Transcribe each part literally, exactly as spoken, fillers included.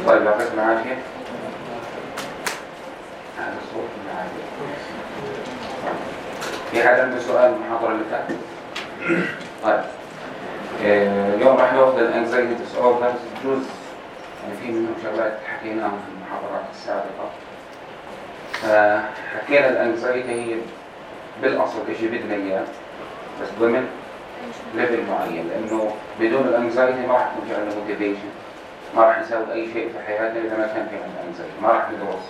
طيب يعطيكم العافية. هذا الصوت العافية. في حد عنده سؤال المحاضرة اللي فاتت؟ طيب اليوم راح ناخذ الانكزايتي ديس اوردرز جزء يعني في منهم شغلات حكيناهم في المحاضرات السابقة. حكينا الانكزايتي هي بالاصل شيء بدنا اياه بس ضمن ليفل معين، لانه بدون الانكزايتي ما راح يكون في عندنا موتيفيشن، ما راح نسوي اي شيء في حياتنا اذا ما كان في عندنا انكزايتي، ما راح ندرس،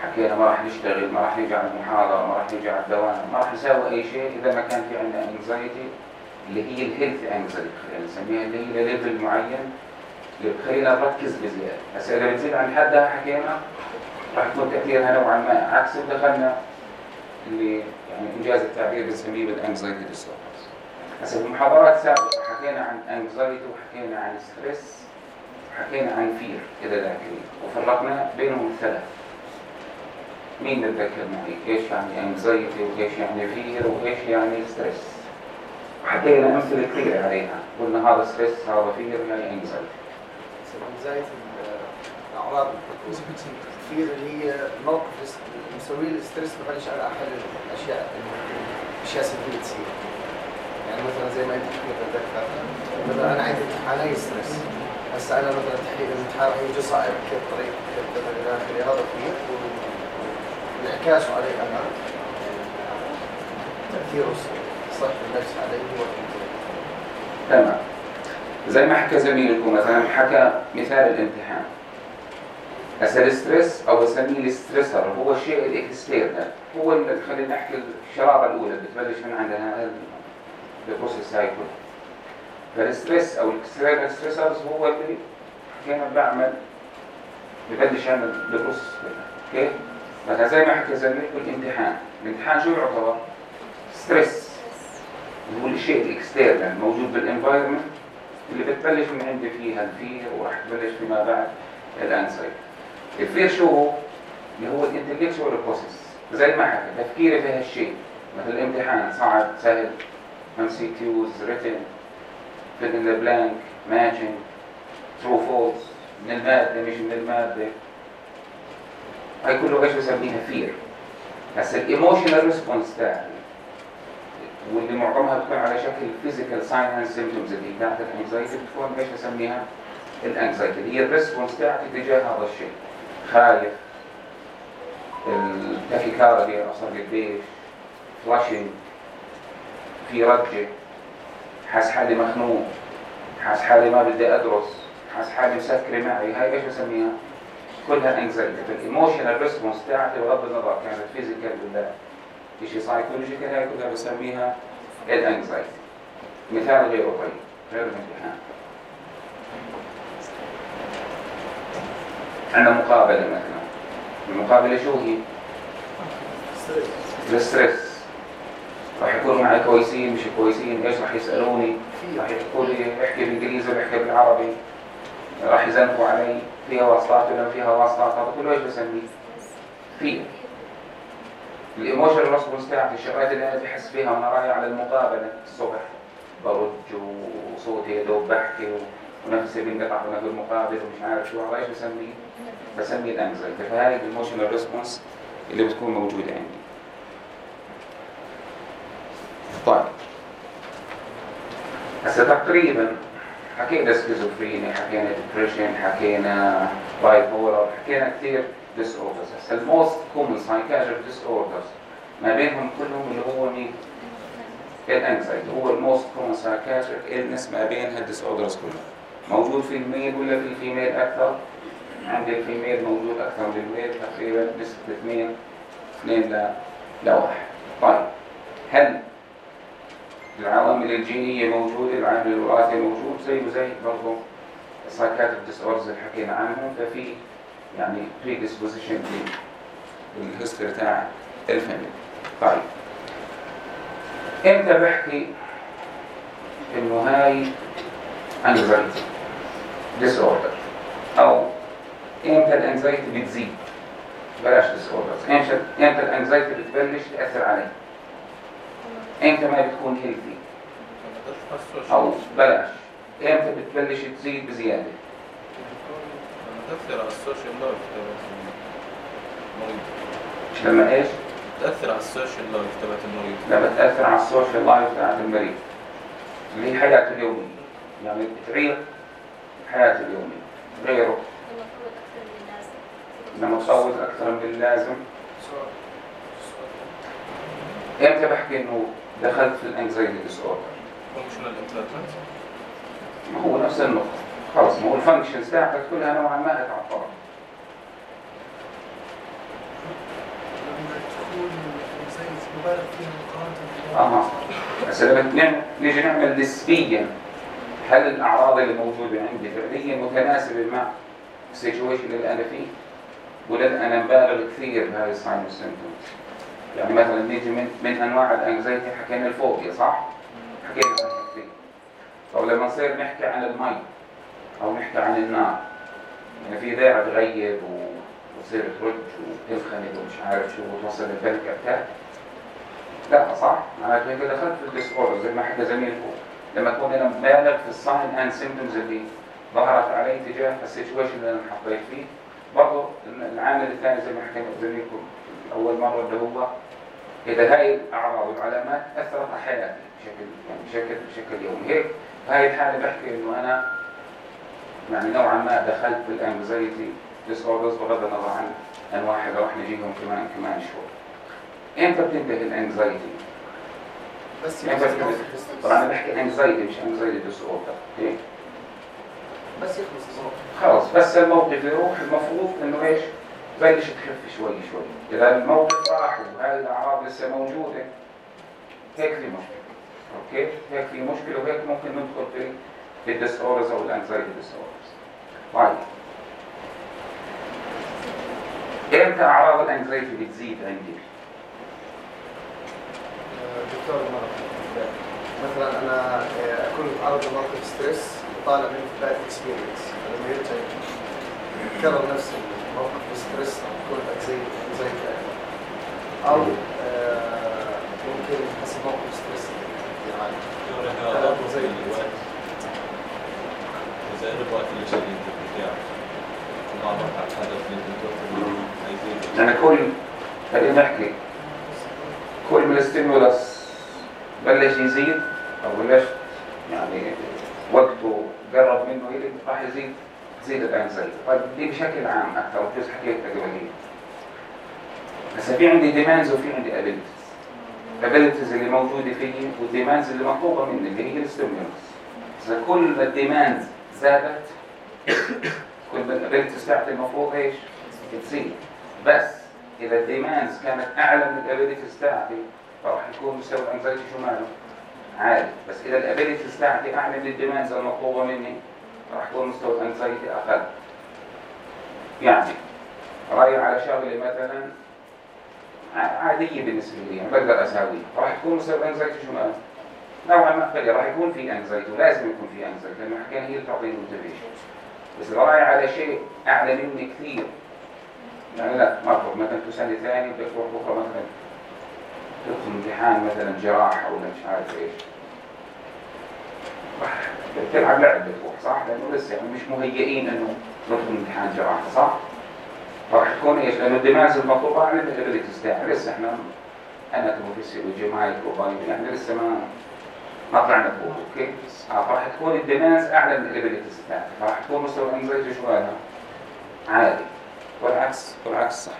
حكينا ما راح نشتغل، ما راح نيجي على المحاضرة، ما راح نيجي على الدوام، ما راح نسوي اي شيء اذا ما كان في عندنا انكزايتي اللي هي الهيلث انكزايتي خلينا نسميها، اللي هي ليفل معين اللي بخلينا نركز بزياده. هسه اذا بتزيد عن حدها حكينا راح يكون تاثيرها نوعا ما عكس ودخلنا اللي يعني انجاز التعبير بنسميه بالانكزايتي ديس اوردرز. هسه في المحاضرات السابقه حكينا عن انكزايتي وحكينا عن ستريس وحكينا عن فير اذا ذاكرين، وفرقنا بينهم الثلاث. مين بتذكر معي ايش يعني انكزايتي وايش يعني فير وايش يعني ستريس؟ وحكينا امثله كثيره عليها، قلنا هذا ستريس هذا فير يعني انكزايتي. انكزايتي الاعراض الفير اللي هي موقف مسوي الستريس ببلش على احد الاشياء الاشياء سلبيه تصير. يعني مثلا زي ما انت كنت تتذكر مثلا انا عندي امتحانين ستريس، هسه انا مثلا تحليل الامتحان راح يجي صعب كيف طريق كيف الى اخره، هذا فير وانعكاسه علي انا تاثيره صحة النفس عليه هو تمام. زي ما حكى زميلكم مثلا حكى مثال الامتحان. هسه الستريس او بسميه الستريسر هو الشيء الاكسترنال، هو اللي خلينا نحكي الشراره الاولى بتبلش من عندنا البروسيس سايكل. فالستريس او الاكسترنال ستريسرز هو اللي كان بعمل ببلش يعمل البروسيس كيف؟ مثلا زي ما حكى زميلكم الامتحان، الامتحان شو يعتبر؟ ستريس اللي هو الشيء الاكسترنال موجود بالانفايرمنت اللي بتبلش من عندي فيها الفير وراح تبلش فيما بعد الانسايتي. الفير شو هو؟ اللي هو الانتلكشوال بروسيس، زي ما حكى تفكيري في هالشيء، مثل الامتحان صعب سهل، ام سي كيوز ريتن fill in the blank matching true false من الماده مش من الماده، هاي كله ايش بسميها فير. بس الايموشنال ريسبونس تاعي واللي معظمها بتكون على شكل فيزيكال ساين اند سيمبتومز اللي بتاعت الانكزايتي بتكون ايش بسميها الانكزايتي، اللي هي الريسبونس تاعتي تجاه هذا الشيء. خايف، التاكيكارديا اصلا قديش، فلاشينج، في رجه، حاس حالي مخنوق، حاس حالي ما بدي ادرس، حاس حالي مسكره معي، هاي ايش بسميها؟ كلها انكزايتي. الايموشنال ريسبونس تاعتي بغض النظر كانت فيزيكال ولا شيء سايكولوجيكال، هاي كلها بسميها الانكزايتي. مثال غيره طيب غير الامتحان، عندنا مقابله مثلا، المقابله شو هي؟ الستريس. راح يكونوا معي كويسين مش كويسين، ايش راح يسالوني؟ راح يحكوا لي احكي بالانجليزي ولا احكي بالعربي، راح يزنقوا علي، فيها واسطات ولا فيها واسطات، هذا كله ايش بسميه؟ فيه الايموشنال ريسبونس تاعتي، الشغلات اللي انا بحس فيها وانا رايح على المقابله الصبح، برج وصوتي يدوب بحكي ونفسي بينقطع وانا بالمقابله ومش عارف شو، هذا ايش بسميه؟ بسميه الانكزايتي. فهاي الايموشنال ريسبونس اللي بتكون موجوده عندي. طيب هسه تقريبا حكينا سكيزوفرينيا، حكينا ديبريشن، حكينا باي بولر، حكينا كثير ديس اوردرز. هسه الموست كومن سايكاتريك ديس اوردرز ما بينهم كلهم اللي هو مين؟ الانكزايتي هو الموست كومن سايكاتريك إلنس ما بين هالديس اوردرز كلها. موجود في الميل ولا في الفيميل اكثر؟ عند الفيميل موجود اكثر من الميل، تقريبا نسبه اثنين اثنين ل لواحد. طيب هل العوامل الجينية موجودة، العامل الوراثي موجود، زيه زي برضه السايكاتريك ديس اوردرز اللي حكينا عنهم. ففي يعني predisposition للهيستوري تاع الفاميلي. طيب امتى بحكي انه هاي anxiety disorder او امتى الانكزايتي بتزيد؟ بلاش disorders. امتى امتى الانكزايتي بتبلش تاثر علي؟ امتى ما بتكون هيلثي؟ او بلاش امتى بتبلش تزيد بزياده؟ تأثر على السوشيال لايف تبعت المريض. مش لما ايش؟ تأثر على السوشيال لايف تبعت المريض. لما تأثر على السوشيال لايف تبعت المريض اللي هي حياته اليومية، يعني بتغير حياته اليومية غيره لما تصوت أكثر من اللازم. امتى بحكي انه دخلت في الانكزايتي ديس اوردر؟ فانكشنال امبيرمنت. ما هو نفس النقطة، خلص ما هو الفانكشنز تاعتك كلها نوعا ما اتعطلت. مبالغ فيها مقارنة اها بس لما نيجي نعمل نسبيا هل الاعراض اللي موجوده عندي فعليا متناسبه مع السيتويشن اللي انا فيه ولا انا مبالغ كثير بهاي الساين والسيمبتومز؟ يعني مثلا نيجي من من انواع الانكزايتي حكينا الفوبيا صح؟ حكينا عنها كثير. طب لما نصير نحكي عن المي او نحكي عن النار يعني في داعي تغيب وتصير ترج وتنخنق ومش عارف شو وتوصل للبنك اتاك؟ لا صح؟ معناته هيك دخلت في الديس اوردر زي ما حكى زميلكم لما اكون انا مبالغ في الساين اند سيمبتومز اللي ظهرت علي تجاه السيتويشن اللي انا حطيت فيه. برضه العامل الثاني زي ما حكينا زميلكم اول مره اللي هو اذا هاي الاعراض والعلامات اثرت على حياتي بشكل يعني بشكل بشكل يومي. هيك في هاي الحاله بحكي انه انا يعني نوعا ما دخلت بالانكزايتي ديس اوردرز بغض النظر عن انواعها اللي راح نجيهم كمان كمان شوي. امتى بتنتهي الانكزايتي؟ بس يعني طبعا انا بحكي انكزايتي مش انكزايتي ديس اوردر. اوكي بس يخلص الموقف خلاص بس الموقف يروح المفروض انه ايش؟ بلش تخف شوي شوي. اذا الموقف راح وهاي الاعراض لسه موجوده هيك في مشكله. اوكي هيك في مشكله وهيك ممكن ندخل في في الديس اوردرز او الانكزايتي ديس اوردرز. طيب امتى اعراض الانكزايتي بتزيد عندي؟ دكتور المرض مثلا انا اكون متعرض لموقف ستريس وطالع منه باد اكسبيرينس لما يرجع يكرر نفس الموقف الستريس يكون انكزايتي او آه ممكن حسب موقف ستريس يعني زي الوقت زي الوقت اللي شديد بتاعه وما مرحب هذا في الدكتور عايزين يعني كل خلينا نحكي كل ما الاستيمولاس بلش يزيد او بلش يعني وقته قرب منه يلي راح يزيد تزيد الانكزايتي. طيب دي بشكل عام اكثر وجزء حكيتها قبل هيك. بس في عندي ديماندز وفي عندي ابيلتيز. الابيلتيز اللي موجوده فيي والديماندز اللي مطلوبه مني اللي هي الاستيمولاس. اذا كل ما الديماندز زادت كل ما الابيلتيز تاعتي المفروض ايش؟ تزيد. بس اذا الديماندز كانت اعلى من الابيلتيز تاعتي فراح يكون مستوى الانكزايتي شو ماله؟ عالي. بس اذا الابيلتيز تاعتي اعلى من الديماندز المطلوبه مني راح يكون مستوى الانكزايتي اقل. يعني رايح على شغله مثلا عاديه بالنسبه لي يعني بقدر اساويها راح تكون مستوى الانكزايتي شو ماله؟ نوعا ما قليل. راح يكون في انكزايتي ولازم يكون في انكزايتي لانه حكينا هي اللي تعطيني موتيفيشن. بس اذا رايح على شيء اعلى مني كثير يعني لا مرة مثلا تسألي ثاني بدك تروح بكره مثلا تدخل امتحان مثلا جراحة ولا مش عارف ايش راح بتلعب لعب بتروح صح؟ لأنه لسه يعني مش مهيئين انه ندخل امتحان جراحة صح؟ راح تكون ايش؟ لأنه الدماغ المطلوبة على الابيلتيز تاعي لسه احنا اناتوموفيسيولوجي وجمايكروبايولوجي يعني لسه ما ما طلعنا فوق. اوكي؟ راح تكون الدماغ اعلى من الابيلتيز تاعي راح تكون مستوى الانكزايتي شو هذا؟ عالي. والعكس والعكس صحيح.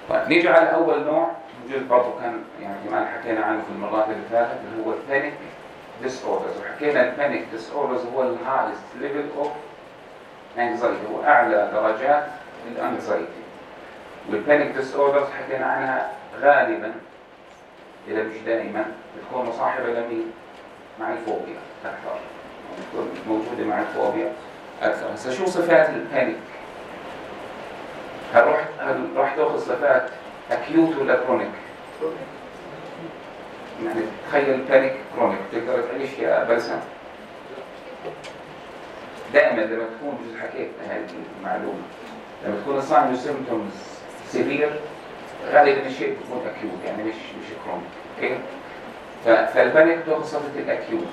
طيب نيجي على أول نوع جزء برضه كان يعني كمان حكينا عنه في المرات اللي فاتت اللي هو البانيك ديس اوردرز. وحكينا البانيك ديس اوردرز هو الهايست ليفل اوف انكزايتي هو أعلى درجات الانكزايتي. والبانيك ديس اوردرز حكينا عنها غالبا إذا مش دائما بتكون مصاحبة لمين؟ مع الفوبيا أكثر، بتكون موجودة مع الفوبيا أكثر. هسا شو صفات البانيك؟ هل رح هل رح تأخذ صفات أكيوت ولا كرونيك؟ يعني تخيل بانيك كرونيك تقدر تعيش يا بلسم؟ دائما لما تكون جزء حكيت هذه المعلومة، لما تكون الساين والسيمبتومز سيفير غالبا الشيء بيكون أكيوت يعني مش مش كرونيك. اوكي؟ فالبانيك تأخذ صفة الأكيوت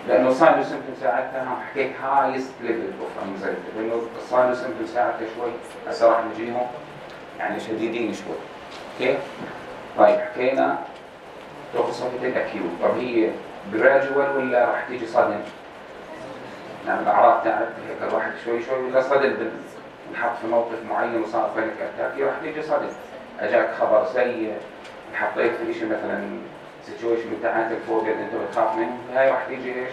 لأنه الساين والسيمبتومز ساعتها حكيت هايست ليفل اوف انكزايتي، لأنه الساين والسيمبتومز ساعتها شوي هسه راح نجيهم يعني شديدين شوي. اوكي؟ طيب حكينا تأخذ صفة الأكيوت، طب هي جراديوال ولا راح تيجي صدمة؟ يعني الأعراض تاعت هيك الواحد شوي شوي ولا صدم نحط في موقف معين وصار بانيك اتاك راح تيجي صدم، اجاك خبر سيء انحطيت في شيء مثلا سيتويشن بتاعت الفوبيا اللي انت بتخاف منه، هاي راح تيجي ايش؟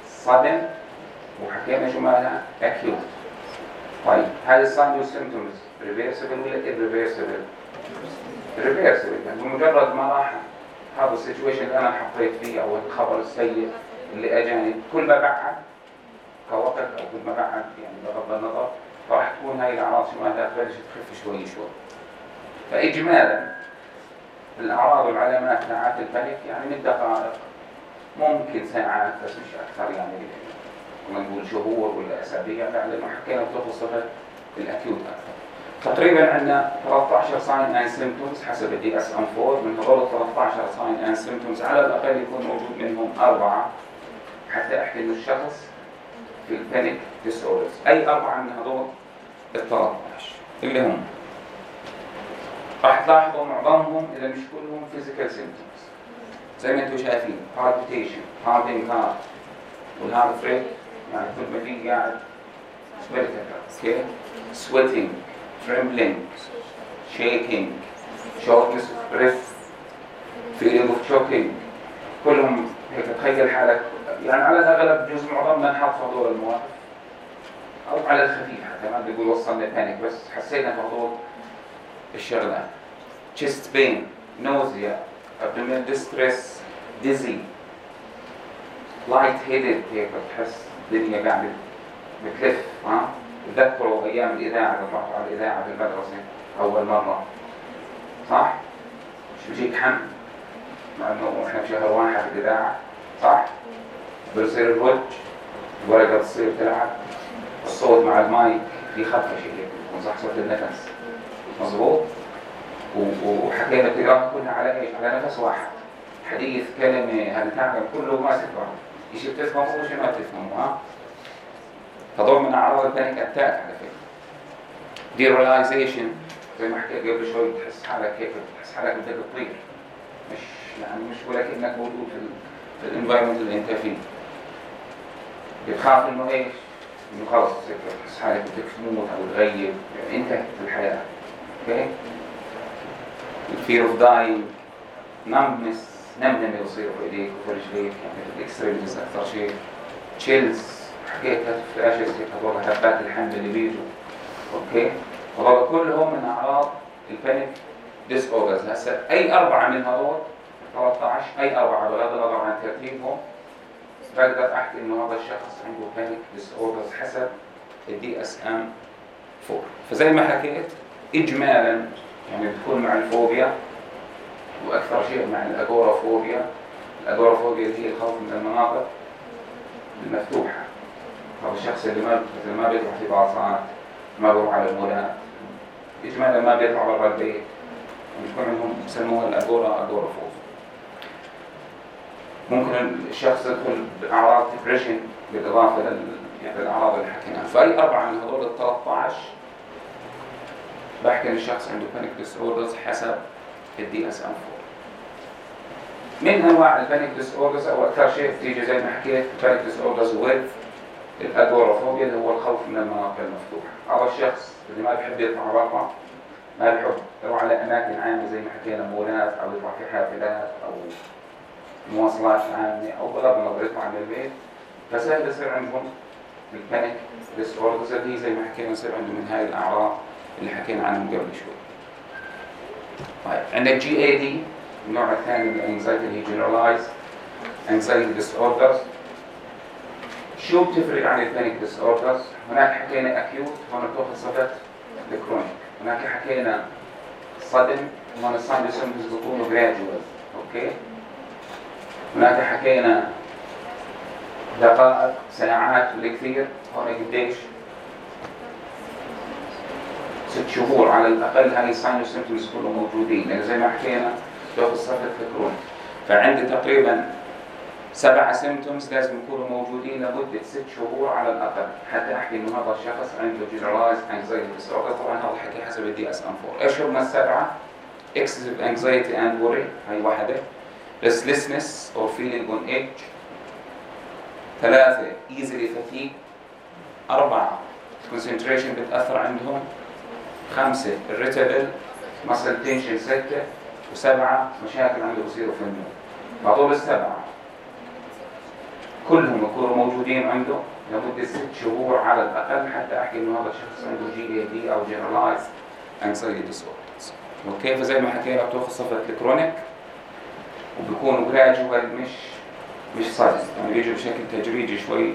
صدم. وحكينا شو مالها؟ اكيوت. طيب هاي الساين والسيمبتومز ريفيرسبل ولا irreversible؟ ريفيرسبل، يعني بمجرد ما راح هذا السيتويشن اللي انا حطيت فيه او الخبر السيء اللي اجاني كل ما بعد كوقت او كل ما بعد يعني بغض النظر راح تكون هاي الاعراض شو مالها تبلش تخف شوي شوي. فاجمالا الاعراض والعلامات تاعت البانيك يعني من دقائق ممكن ساعات بس مش اكثر، يعني كنا نقول شهور ولا اسابيع، لانه حكينا بتاخذ صفه الاكيوت اكثر. تقريبا عندنا ثلاثة عشر ساين اند سيمبتومز حسب الدي اس ام أربعة، من هذول ثلاثة عشر ساين اند سيمبتومز على الاقل يكون موجود منهم اربعه حتى احكي انه الشخص في البانيك ديس اوردرز. اي اربعه من هذول ال ثلاثة عشر اللي هم راح تلاحظوا معظمهم اذا مش كلهم فيزيكال سيمبتومز زي ما انتم شايفين، بالبيتيشن، هارتنج هارت، والهارت ريت يعني كل ما في قاعد اوكي، سويتنج، trembling, shaking, shortness of breath, feeling of choking، كلهم هيك تخيل حالك يعني على الأغلب جزء معظمنا نحط في هذول المواقف أو على الخفيف حتى ما بيقول وصلنا بانيك بس حسينا في هذول الشغلات. chest pain, nausea, abdominal distress, dizzy, light-headed، هيك بتحس الدنيا قاعدة بتلف. ها تذكروا أيام الإذاعة لما رحتوا على الإذاعة في المدرسة أول مرة صح؟ مش بيجيك حم مع إنه إحنا بشهر واحد في الإذاعة صح؟ بيصير الوجه الورقة بتصير تلعب، الصوت مع المايك في خطة شيء ونصح صوت النفس مظبوط، وحكينا القراءة كلها على إيش؟ على نفس واحد، حديث كلمة هنتعلم كله ماسك بعض، إشي بتفهمه وإشي ما بتفهمه. ها؟ هذول من أعراض البانيك أتاك على فكرة. ديريلايزيشن زي ما حكيت قبل شوي، تحس حالك هيك تحس حالك بدك تطير، مش يعني مش ولا كأنك موجود في في الانفايرمنت اللي أنت فيه. بتخاف إنه إيش؟ إنه خلص تحس حالك بدك تموت أو تغيب، يعني انتهت الحياة. أوكي؟ الفير أوف داينج، نمنس، نمنمة يصير في إيديك وفي رجليك، يعني في الإكستريمز أكثر شيء. تشيلز حكيت هالفلاشز هيك هذول هبات الحمل اللي بيجوا. اوكي، وهذول كلهم من اعراض البانيك ديس اوردرز. هسه اي اربعه من هذول ثلاثة عشر، اي اربعه بغض النظر عن ترتيبهم بقدر احكي انه هذا الشخص عنده بانيك ديس اوردرز حسب الدي اس ام أربعة. فزي ما حكيت اجمالا يعني بتكون مع الفوبيا واكثر شيء مع الاغورافوبيا. الاغورافوبيا هي الخوف من المناطق المفتوحه. هذا الشخص اللي ما مثل ما بيطلع في باصات، ما بيروح على المولات، إجمالا ما بيطلع برا البيت، بيكون عندهم بسموها الأغورا أغورافوبيا. ممكن الشخص يدخل بأعراض ديبريشن بالإضافة لل يعني الأعراض اللي حكيناها. فأي أربعة من هذول ال ثلاثة عشر بحكي إن الشخص عنده بانيك ديس اوردرز حسب الدي اس ام أربعة. من أنواع البانيك ديس اوردرز أو أكثر شيء بتيجي زي ما حكيت بانيك ديس اوردرز ويز الأغورافوبيا اللي هو الخوف من المناطق المفتوحة. هذا الشخص اللي ما بيحب يطلع برا، ما بيحب يروح على أماكن عامة زي ما حكينا مولات أو يطلع في حافلات أو مواصلات عامة أو بغض النظر يطلع من البيت، فسهل يصير عندهم البانيك ديس اوردرز اللي زي ما حكينا يصير عندهم من هاي الأعراض اللي حكينا عنهم قبل شوي. طيب عندك جي اي دي النوع الثاني من الانكزايتي اللي هي generalized anxiety disorders. شو بتفرق عن البانيك disorders؟ هناك حكينا acute، هون بتاخذ صفة الكرونيك. هناك حكينا sudden، هون الساين والسيمبتومز بيكونوا gradual. اوكي. هناك حكينا دقائق، ساعات بالكثير، هون قديش؟ ست شهور على الأقل. هاي الساين والسيمبتومز كلهم موجودين، لأن زي ما حكينا بتاخذ صفة الكرونيك. فعندي تقريبا سبعة سيمبتومز لازم يكونوا موجودين لمدة ست شهور على الأقل حتى أحكي إنه هذا الشخص عنده generalized anxiety disorder. طبعا هذا الحكي حسب الدي اس ام أربعة. إيش هم السبعة؟ excessive anxiety and worry، هاي واحدة. restlessness or feeling on edge. ثلاثة easily fatigue. أربعة concentration بتأثر عندهم. خمسة irritable muscle tension. ستة وسبعة مشاكل عنده بصيروا في النوم. هذول السبعة كلهم يكونوا موجودين عنده لمدة ست شهور على الأقل حتى أحكي إنه هذا الشخص عنده جي اي دي أو generalized anxiety disorders. أوكي. فزي ما حكينا بتاخذ صفة الكرونيك وبيكونوا gradual مش مش sudden، يعني بيجوا بشكل تدريجي شوي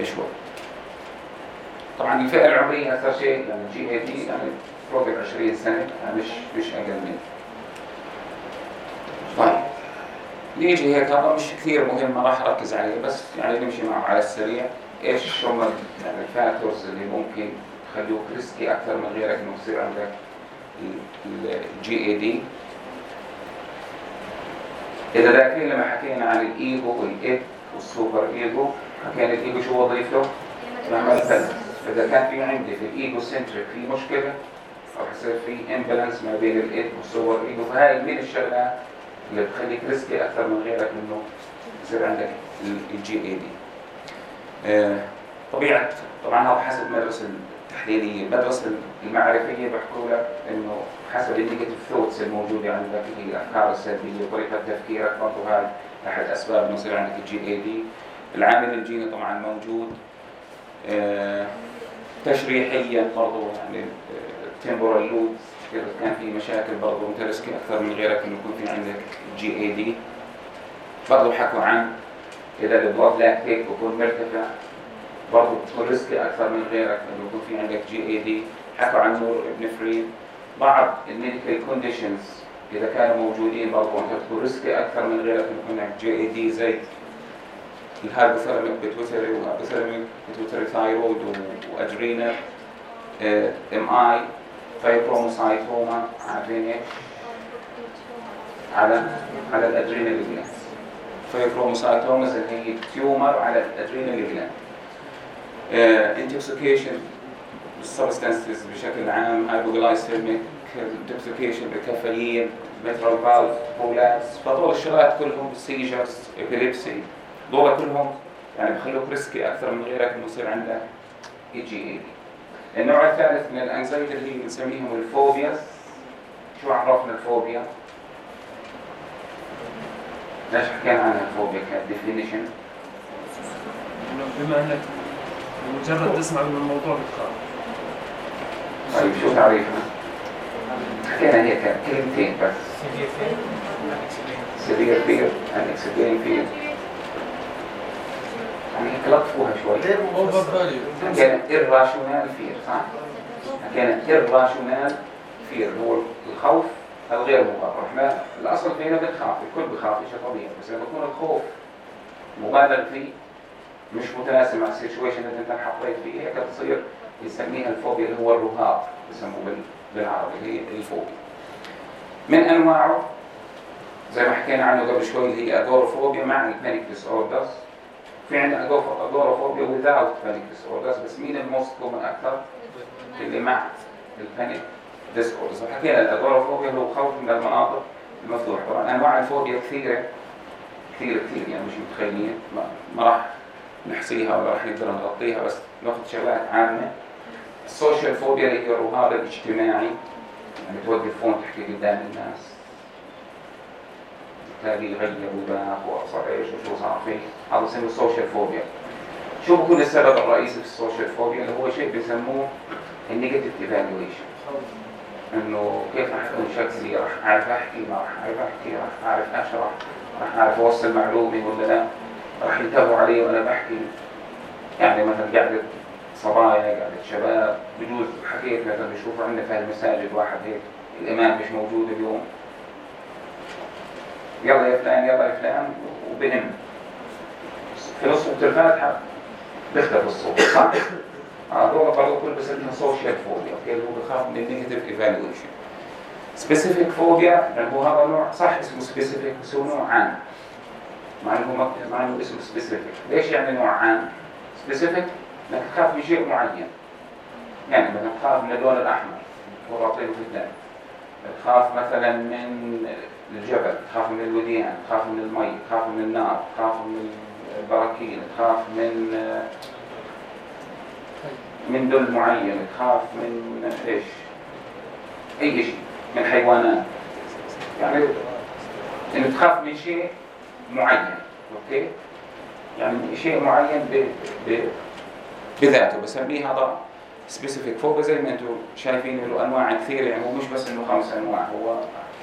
شوي. طبعا الفئة العمرية أكثر شيء يعني جي اي دي يعني فوق عشرين سنة، يعني مش مش أقل منه. طيب نيجي هيك، هذا مش كثير مهم، ما راح أركز عليه، بس يعني نمشي معه على السريع. إيش هم يعني الفاكتورز اللي ممكن يخلوك ريسكي أكثر من غيرك إنه يصير عندك الجي اي دي؟ إذا ذاكرين لما حكينا عن الإيجو والإيد والسوبر إيجو، حكينا الإيجو شو وظيفته؟ يعمل بالانس. فإذا كان في عندي في الإيجو سنتريك في مشكلة أو حصير في إمبالانس ما بين الإيد والسوبر إيجو، فهاي من الشغلات اللي بتخليك ريسكي أكثر من غيرك إنه يصير عندك الجي اي دي. آه طبيعة طبعا هذا حسب المدرسة التحليلية. المدرسة المعرفية بحكوا لك إنه حسب النيجاتيف ثوتس الموجودة عندك، هي الأفكار السلبية وطريقة تفكيرك، برضه هاي أحد أسباب إنه يصير عندك الجي اي دي. العامل الجيني طبعا موجود. آه تشريحيا برضه يعني التمبورال لوب إذا كان في مشاكل برضه أنت ريسكي أكثر من غيرك إنه يكون في عندك جي اي دي. برضه حكوا عن إذا البلاد لاكتيك بيكون مرتفع برضه بتكون ريسكي أكثر من غيرك إنه يكون في عندك جي اي دي. حكوا عن نور ابنفرين. بعض الميديكال كونديشنز إذا كانوا موجودين برضه أنت بتكون ريسكي أكثر من غيرك إنه يكون عندك جي اي دي، زي الهايبوثالاميك بيتويتري وهايبوثالاميك بيتويتري ثايرويد وأدرينال ام اي فايبروموسايتوما. عارفين ايش؟ على على الادرينال جلاند. فايبروموسايتوما اللي هي تيومر على الادرينال جلاند. انتوكسيكيشن بالسبستانسز بشكل عام، هايبوغلايسيميك انتوكسيكيشن بالكافيين، ميترال فالف بولاس. فطول الشغلات كلهم سيجرز ابيليبسي دول كلهم يعني بخلوك ريسكي اكثر من غيرك انه يصير عندك اي جي اي دي. النوع الثالث من الانكزايتي اللي هي بنسميهم الفوبياز. شو عرفنا الفوبيا؟ ليش حكينا عن الفوبيا كديفينيشن؟ بما انك مجرد تسمع من الموضوع بتخاف. طيب شو تعريفنا؟ حكينا هيك كلمتين بس. severe fear and extreme fear. يعني هيك لطفوها شوي. حكينا irrational fear صح؟ حكينا irrational fear هو الخوف الغير مبرر. احنا الاصل فينا بنخاف، الكل بخاف، شيء طبيعي، بس لما يكون الخوف مبالغ فيه مش متناسب مع السيتويشن اللي انت حطيت فيه، هيك بتصير يسميها الفوبيا اللي هو الرهاب بسموه بالعربي، هي الفوبيا. من انواعه زي ما حكينا عنه قبل شوي اللي هي اغورافوبيا مع البانيك ديس اوردرز. في عندنا اغورافوبيا without panic disorders، بس مين الموست كومن اكثر؟ اللي مع البانيك ديس اوردرز. وحكينا الاغورافوبيا هو خوف من المناطق المفتوحه. طبعا انواع الفوبيا كثيره كثير كثير يعني مش متخيلين، ما, ما راح نحصيها ولا راح نقدر نغطيها، بس ناخذ شغلات عامه. السوشيال فوبيا اللي هي الرهاب الاجتماعي، يعني توقف فون تحكي قدام الناس تلاقي يغير وباخ وصار ايش وشو صار فيه، هذا اسمه السوشيال فوبيا. شو بكون السبب الرئيسي في السوشيال فوبيا؟ اللي هو شيء بيسموه النيجاتيف ايفالويشن. انه كيف راح اكون شكلي، راح اعرف احكي ما راح اعرف احكي، راح اعرف اشرح، راح اعرف اوصل معلومه ولا لا، راح ينتبهوا علي وانا بحكي. يعني مثلا قاعده صبايا، قاعده شباب، بجوز حكيت مثلا بشوفوا عندنا في المساجد واحد هيك الامام مش موجود اليوم، يلا يا فلان يلا يا فلان، وبنم في نص الفاتحه بيختفي الصوت، صح؟ هذول برضه كل بسميها سوشيال فوبيا، اوكي، اللي هو بخاف من النيجاتيف ايفالويشن. سبيسيفيك فوبيا لانه هو هذا نوع صح اسمه سبيسيفيك بس هو نوع عام، مع انه مع انه اسمه سبيسيفيك. ليش يعني نوع عام؟ سبيسيفيك انك تخاف من شيء معين، يعني مثلا تخاف من اللون الاحمر ورابطينه في الدم، تخاف مثلا من الجبل، تخاف من الوديان، تخاف من المي، تخاف من النار، تخاف من البراكين، تخاف من من دل معين، تخاف من ايش؟ اي شيء من حيوانات، يعني انه تخاف من شيء معين، اوكي؟ يعني شيء معين ب... ب... بذاته، بسميه هذا سبيسيفيك فوبيا. زي ما انتم شايفين له انواع كثيره، يعني هو مش بس انه خمس انواع، هو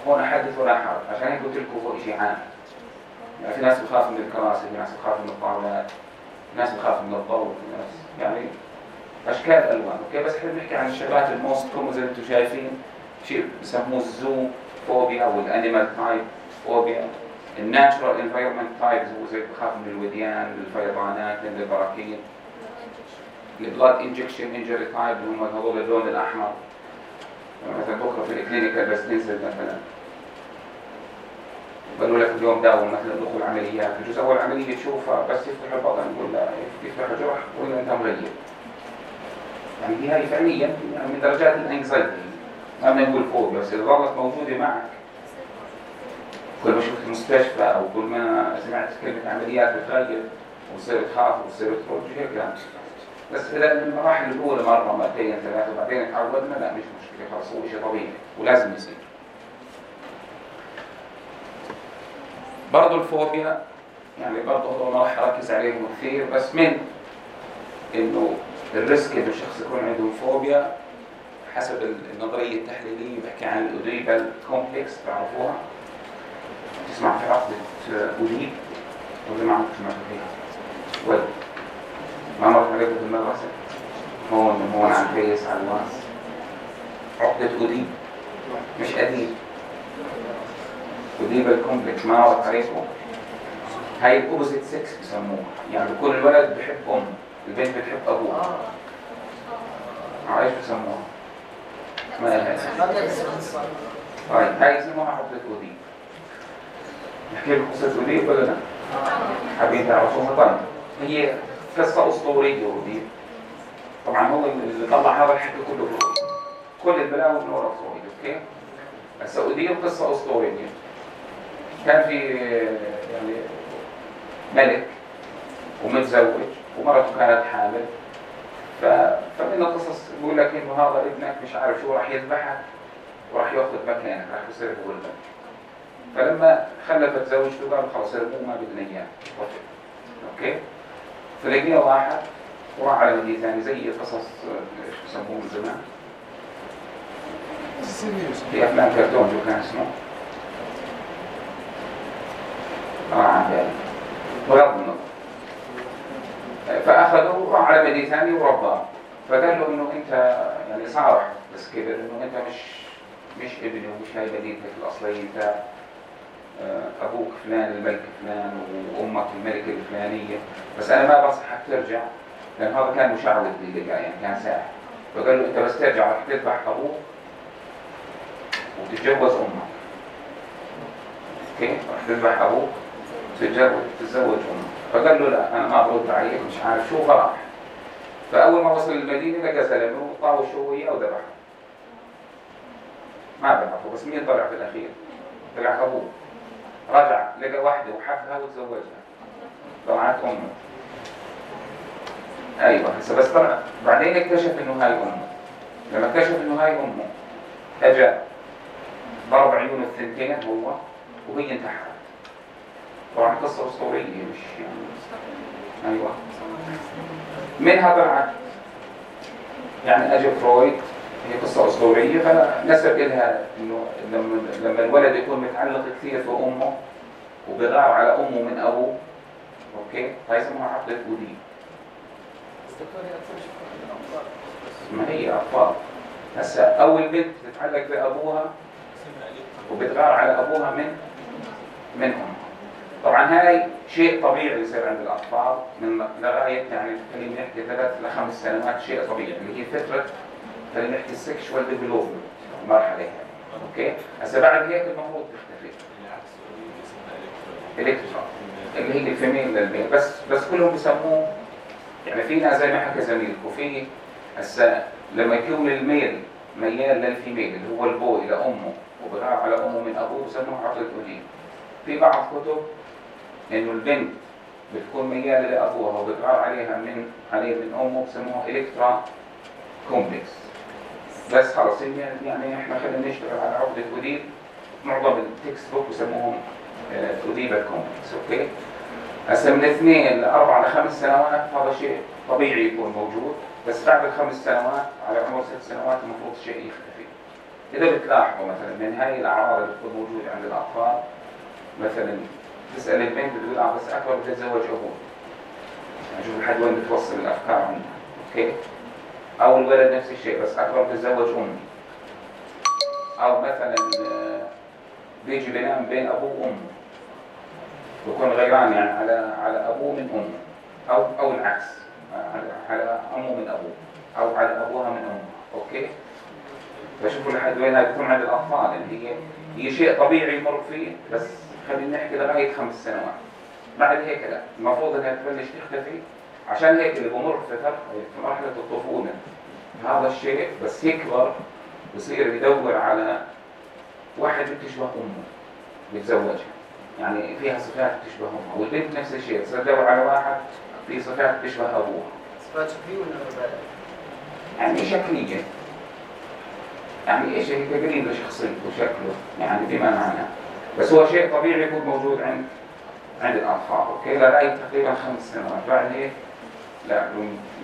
هون حدث ولا حرج، عشان هيك قلت لكم هو شيء عام. يعني في ناس بخاف من الكراسي، في ناس بخاف من الطاولات، في ناس بخاف من الضوء، في ناس يعني اشكال الوان، اوكي؟ بس احنا بنحكي عن الشغلات الموست كومن زي ما انتم شايفين، شيء بسموه الزو فوبيا او الانيمال تايب فوبيا. الناتشرال انفايرمنت تايبز هو زي بخاف من الوديان، الفيضانات، من البراكين. البلاد انجكشن انجري تايب اللي هم هذول اللون الاحمر، مثلا بكره في الكلينيكال بس تنزل مثلا قالوا لك اليوم داوم مثلا دخول عمليات، بجوز اول عمليه تشوفها بس يفتح البطن ولا يفتح الجرح ولا انت مغيب. يعني دي هاي فعليا يعني من درجات الانكزايتي، ما بنقول فوبيا، بس اذا ظلت موجوده معك كل ما شفت مستشفى او كل ما سمعت كلمه عمليات بتغير وتصير تخاف وتصير تخرج هيك يعني. بس اذا المراحل الاولى مره مرتين ثلاثه وبعدين تعودنا لا مش مشكله، خلاص هو شيء طبيعي ولازم يصير. برضه الفوبيا يعني برضه ما راح اركز عليهم كثير، بس من انه الريسك انه الشخص يكون عنده فوبيا حسب النظريه التحليليه بحكي عن الاوديبال كومبلكس، تعرفوها؟ تسمع في عقدة أوديب ولا ما عم تسمع فيها؟ ولا ما مرت عليكم في المدرسة؟ هون هون عم كيس على الواس عقدة أوديب مش أديب، أوديبال كومبلكس ما مرت عليكم؟ هاي الأوبوزيت سكس بسموها، يعني كل الولد بحب أم، البنت بتحب أبوها. عايش بسموها؟ ما لها طيب هاي يسموها عقدة أوديب. نحكي لكم قصة أوديب ولا لا؟ حابين تعرفوها؟ طيب هي قصة أسطورية أوديب، طبعا هو اللي طلع هذا الحكي كله فرويد، كل البلاوي من وراء فرويد، اوكي؟ بس أوديب قصة أسطورية. كان في يعني ملك ومتزوج ومرته كانت حامل، ف... فمن القصص بيقول لك إنه هذا ابنك مش عارف شو راح يذبحك وراح ياخذ مكانك، راح يصير هو الملك. فلما خلفت زوجته قال خلاص ارموه ما بدنا اياه، اوكي؟ فلقينا واحد وراح على مدينة ثاني زي قصص ايش بسموه من زمان؟ في افلام كرتون شو كان اسمه؟ اه عن بالي بغض النظر. فاخذوه وراح على مدينة ثاني ورباه، فقال له انه انت يعني صارح بس كبر انه انت مش مش ابني ومش هاي مدينتك الاصليه، انت أبوك فلان الملك فلان وأمك الملكة الفلانية، بس أنا ما بنصحك ترجع لأن هذا كان مشعوذ باللقاء يعني كان ساحر. فقال له أنت بس ترجع راح تذبح أبوك وتتجوز أمك، أوكي؟ راح تذبح أبوك وتتجوز تتزوج أمك. فقال له لا أنا ما برد عليك مش عارف شو، فراح. فأول ما وصل المدينة لقى زلمه طاوش هو وياه وذبحه. ما بعرفه بس مين طلع في الأخير؟ طلع أبوه. رجع لقى واحدة وحبها وتزوجها، طلعت أمه. أيوة هسه بس طلع بعدين اكتشف إنه هاي أمه. لما اكتشف إنه هاي أمه أجا ضرب عيونه الثنتين هو وهي انتحرت. طبعا قصة أسطورية مش يعني أيوة. منها طلعت يعني أجا فرويد هي قصة أسطورية، فنسب لها إنه لما لما الولد يكون متعلق كثير في أمه وبغار على أمه من أبوه، أوكي، هاي اسمها عقدة أوديب. ما هي أطفال. هسا أول بنت تتعلق بأبوها وبتغار على أبوها من من أمها. طبعا هاي شيء طبيعي يصير عند الأطفال من لغاية يعني خلينا نحكي ثلاث لخمس سنوات، شيء طبيعي اللي هي فترة خلينا نحكي السكشوال ديفلوبمنت المرحلة هاي. أوكي، هسا بعد هيك المفروض تختفي. إلكترا اللي هي الفيميل للميل، بس بس كلهم بيسموه يعني فينا زي ما حكى زميلكم في هسا لما يكون الميل ميال للفيميل اللي هو البوي لأمه وبغار على أمه من أبوه بسموه عقدة أوديب. في بعض كتب إنه البنت بتكون ميالة لأبوها وبتغار عليها من عليه من أمه بسموه إلكترا كومبلكس. بس خلص يعني إحنا خلينا نشتغل على عقدة أوديب. معظم التكست بوك بسموهم أوديب كومبلكس. أوكي، هسه من اثنين لأربع لخمس سنوات هذا شيء طبيعي يكون موجود، بس بعد الخمس سنوات على عمر ست سنوات المفروض الشيء يختفي. إذا بتلاحظوا مثلا من هاي الأعراض اللي بتكون موجودة عند الأطفال، مثلا تسأل البنت بتقول اه بس أكبر بتتزوج أبوه، يعني شوف لحد وين بتوصل الأفكار عندها. أوكي، أو الولد نفس الشيء بس أكبر بتتزوج أمي، أو مثلا بيجي بينام بين أبوه وأمه بكون غيران يعني على على أبوه من أمه، أو أو العكس على على أمه من أبوه، أو على أبوها من أمه. أوكي، فشوفوا لحد وين هاي بتكون عند الأطفال اللي هي هي شيء طبيعي يمر فيه، بس خلينا نحكي لغاية خمس سنوات. بعد هيك لا، المفروض انها تبلش تختفي. عشان هيك اللي بمر في في مرحلة الطفولة هذا الشيء بس يكبر بصير يدور على واحد بتشبه أمه بيتزوجها، يعني فيها صفات بتشبه أمها، والبنت نفس الشيء تصير تدور على واحد فيه صفات بتشبه أبوها. صفات شكلية ولا مبالغ؟ يعني شكلية، يعني ايش هي قريب لشخصيته وشكله يعني بما معناه، بس هو شيء طبيعي يكون موجود عند عند الأطفال. أوكي، لغاية تقريبا خمس سنوات. بعد هيك لا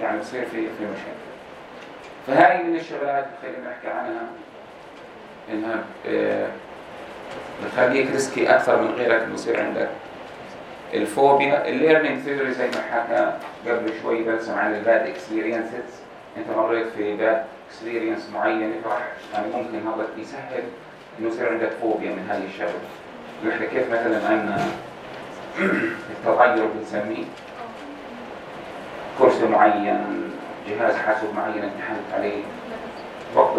يعني يصير في في مشاكل. فهاي من الشغلات اللي خلينا نحكي عنها إنها آه بتخليك ريسكي أكثر من غيرك إنه يصير عندك الفوبيا. الليرنينج ثيوري زي ما حكى قبل شوي برسم عن الباد اكسبيرينسز. أنت مريت في باد اكسبيرينس معينة فراح يعني ممكن هذا يسهل إنه يصير عندك فوبيا من هاي الشغلة. نحن كيف مثلا عندنا التغير بنسميه كرسي معين، جهاز حاسوب معين امتحنت عليه، وقت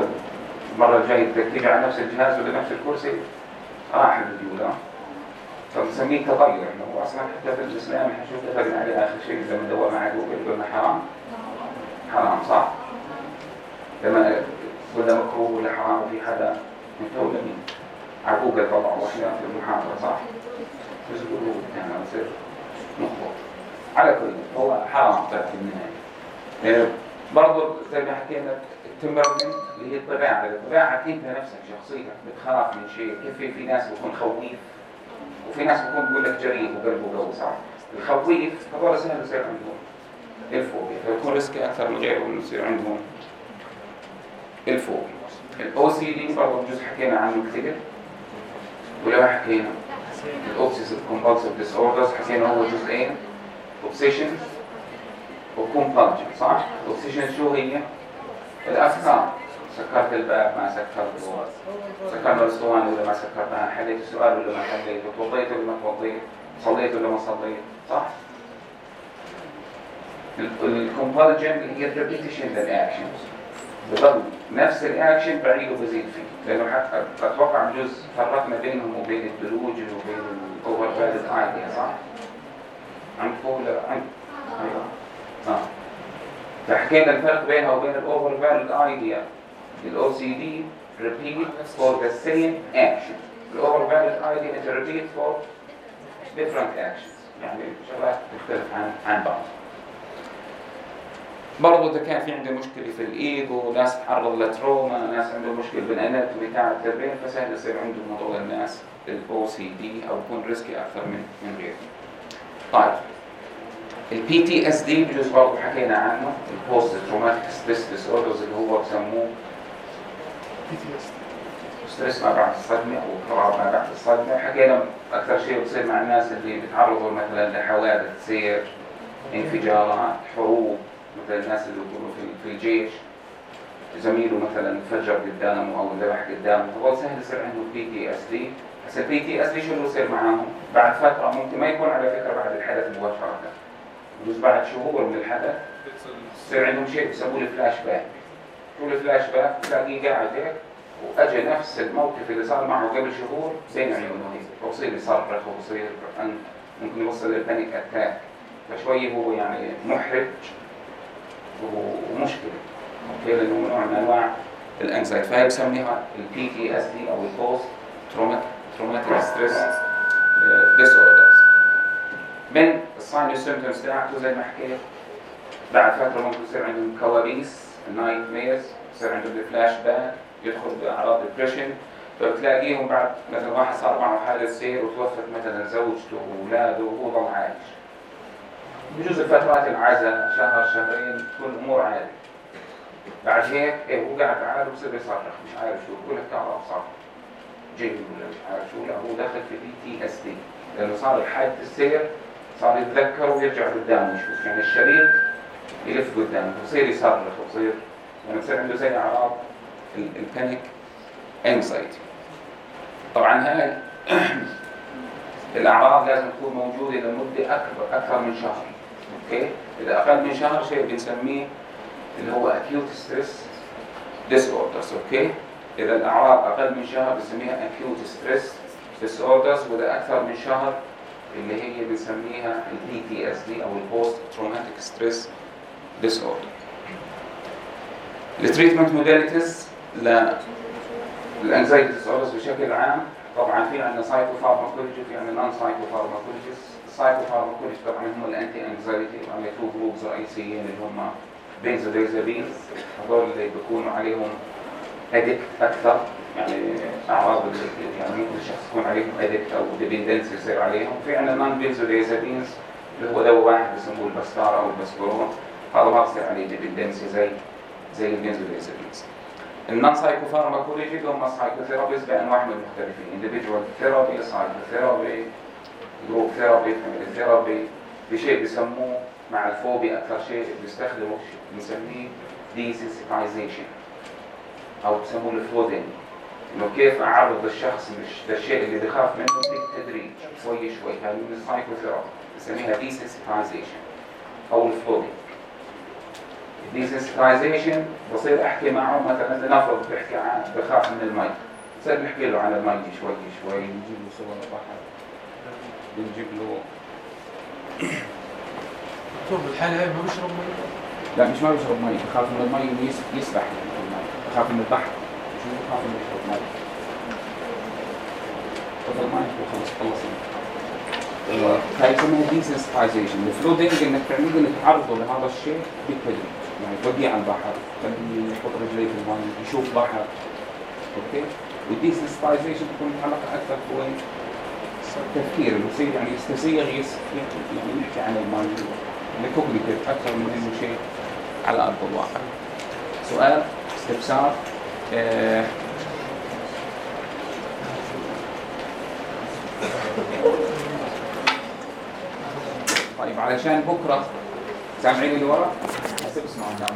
المرة الجاية بدك تيجي على نفس الجهاز ولا نفس الكرسي راح الفيديو، فبنسميه تغير. إنه هو أصلا حتى في الإسلام حنشوف اتفقنا عليه آخر شيء لما ندور مع جوجل قلنا حرام حرام صح؟ لما قلنا مكروه ولا حرام وفي حدا متولى مين؟ على جوجل طبعا وأحيانا في المحاضرة صح؟ بس يقولوا يعني يصير مخبط. على كل هو حرام طبعا في النهاية. برضو زي ما حكينا التمبرمنت اللي هي الطباعة، الطباعة انت نفسك شخصيتك بتخاف من شيء. كيف في, في ناس بيكون خويف وفي ناس بيكون بيقول لك جريء وقلبه قوي صح؟ الخويف هذول سهل يصير عندهم الفوبيا، فيكون ريسكي اكثر من غيره انه يصير عندهم الفوبيا. الاو سي دي برضه جزء حكينا عنه كثير ولا ما حكينا؟ الاوبسيسيف كومبالسيف ديس اوردرز حكينا هو جزئين، اوبسيشن وكومبالجن صح؟ الاوبسيشن شو هي؟ الافكار، سكرت الباب ما سكرته، سكرنا الاسطوانه ولا ما سكرتها، حليت السؤال ولا ما حليته، توضيت ولا ما توضيت، صليت ولا ما صليت صح؟ الكومبالجن اللي هي الريبيتيشن للاكشنز، بضل نفس الاكشن بعيد وبزيد فيه، لانه حتى اتوقع جزء فرقنا بينهم وبين الدلوجن وبين الاوفر فاليد ايديا صح؟ عندكم ولا عندكم؟ ايوه اه فحكينا الفرق بينها وبين الاوفر فاليد ايديا. الاو سي دي repeat for the same action، الاوفر فاليد ايديا انت repeat for different actions، يعني شغلات تختلف عن عن بعض. برضو إذا كان في عنده مشكلة في الإيجو، ناس تعرض لتروما، ناس عنده مشكلة بالأناتومي تاع التربين، فسهل يصير عندهم هذول الناس الأو سي دي أو يكون ريسكي أكثر من من غيره. طيب البي تي اس دي بجوز برضو حكينا عنه، البوست تروماتيك ستريس ديسوردرز اللي هو بسموه بي تي اس. ستريس ما بعد الصدمة أو اضطراب ما بعد الصدمة. حكينا أكثر شيء بصير مع الناس اللي بيتعرضوا مثلا لحوادث سير، انفجارات، حروب، مثل الناس اللي بيكونوا في- في الجيش زميله مثلا فجر قدامه أو ذبح قدامه، هو سهل يصير عنده بي تي اس دي. بس البي تي اس دي شو اللي يصير معاهم؟ بعد فترة ممكن ما يكون على فكرة بعد الحدث مباشرة، بجوز بعد شهور من الحدث يصير عندهم شيء بيسموه الفلاش باك. شو الفلاش باك؟ تلاقيه قاعد هيك وأجى نفس الموقف اللي صار معه قبل شهور بين عيونه هيك، وبصير يصرخ وبصير ممكن يوصل للبانيك اتاك. فشوي هو يعني محرج ومشكلة، اوكي، لأنه نوع من أنواع الانكزايتي. فهي بسميها البي تي اس دي أو البوست تروماتيك ستريس ديس اوردرز. من الساين والسيمبتومز تاعته زي ما حكيت، بعد فترة ممكن يصير عندهم كوابيس، النايت ميرز، يصير عندهم الفلاش باك، يدخل بأعراض ديبريشن. فبتلاقيهم بعد مثلا واحد صار معه حادث سير وتوفت مثلا زوجته وأولاده وهو ضل عايش، بجوز الفترات العزاء شهر شهرين تكون الأمور عادي. بعد هيك إيه هو قاعد عادي وبصير يصرخ مش عارف شو، بقول لك تعرف صار جيل ولا مش عارف شو، لا هو دخل في بي تي اس دي لأنه صار الحادث السير، صار يتذكر ويرجع قدامه يشوف، يعني الشريط يلف قدامه وبصير يصرخ وبصير يعني بصير عنده زي أعراض البانيك انكزايتي. طبعا هاي الأعراض لازم تكون موجودة لمدة أكبر أكثر من شهر، أوكي؟ إذا أقل من شهر شيء بنسميه اللي هو acute stress disorders، أوكي؟ إذا الأعراض أقل من شهر بنسميها acute stress disorders، وإذا أكثر من شهر اللي هي بنسميها ال بي تي اس دي أو ال post traumatic stress disorder. التريتمنت موداليتيز للانكزايتي ديسوردرز بشكل عام، طبعا في عندنا سايكوفارماكولوجي وفي عندنا نون سايكوفارماكولوجي. السايكوفارماكولوجي طبعا هم الانتي انكزايتي، وعندنا تو جروبز رئيسيين اللي هم بنزودازابينز، هذول اللي بيكونوا عليهم ادكت اكثر، يعني اعراض يعني ممكن الشخص يكون عليهم ادكت او ديبندنسي يصير عليهم. في عندنا نون بنزودازابينز اللي هو دواء واحد بسموه البستار او البسبرون، هذا ما بصير عليه ديبندنسي زي زي البنزودازابينز. النون سايكوفارماكولوجي هم السايكوثيرابيز بانواعهم المختلفين، individual ثيرابي، سايكوثيرابي، جروب ثيرابي، فاميلي ثيرابي. بشيء بسموه مع الفوبيا اكثر شيء بيستخدموا بنسميه desensitization او بسموه الفلودينج، انه كيف اعرض الشخص للشيء اللي بيخاف منه بالتدريج شوي شوي. هاي من السايكوثيرابي بنسميها desensitization او الفلودينج. desensitization بصير احكي معه مثلا لنفرض بحكي عن بخاف من المي، بصير نحكي له عن المي شوي شوي، نجيب له صور البحر، بنجيب له دكتور بالحالة هاي ما بيشرب مي؟ لا مش ما بيشرب مي، بخاف من المي يسبح في المي، بخاف من البحر، شو بخاف انه يشرب مي. تفضل معي وخلص خلصنا. هاي اسمها desensitization. الفلودينج انك تعمل انك تعرضه لهذا الشيء بالتدريج، يعني توديه على البحر، تخليه يحط رجليه في المي، يشوف بحر، اوكي؟ والديسنسيتايزيشن تكون متعلقه اكثر بوين؟ التفكير اللي يصير يعني يستسيغ يعني نحكي عن المي لكوجنيتيف اكثر من انه شيء على ارض الواقع. سؤال استفسار؟ آه طيب علشان بكره سامعين اللي ورا؟ هسه بسمعوا.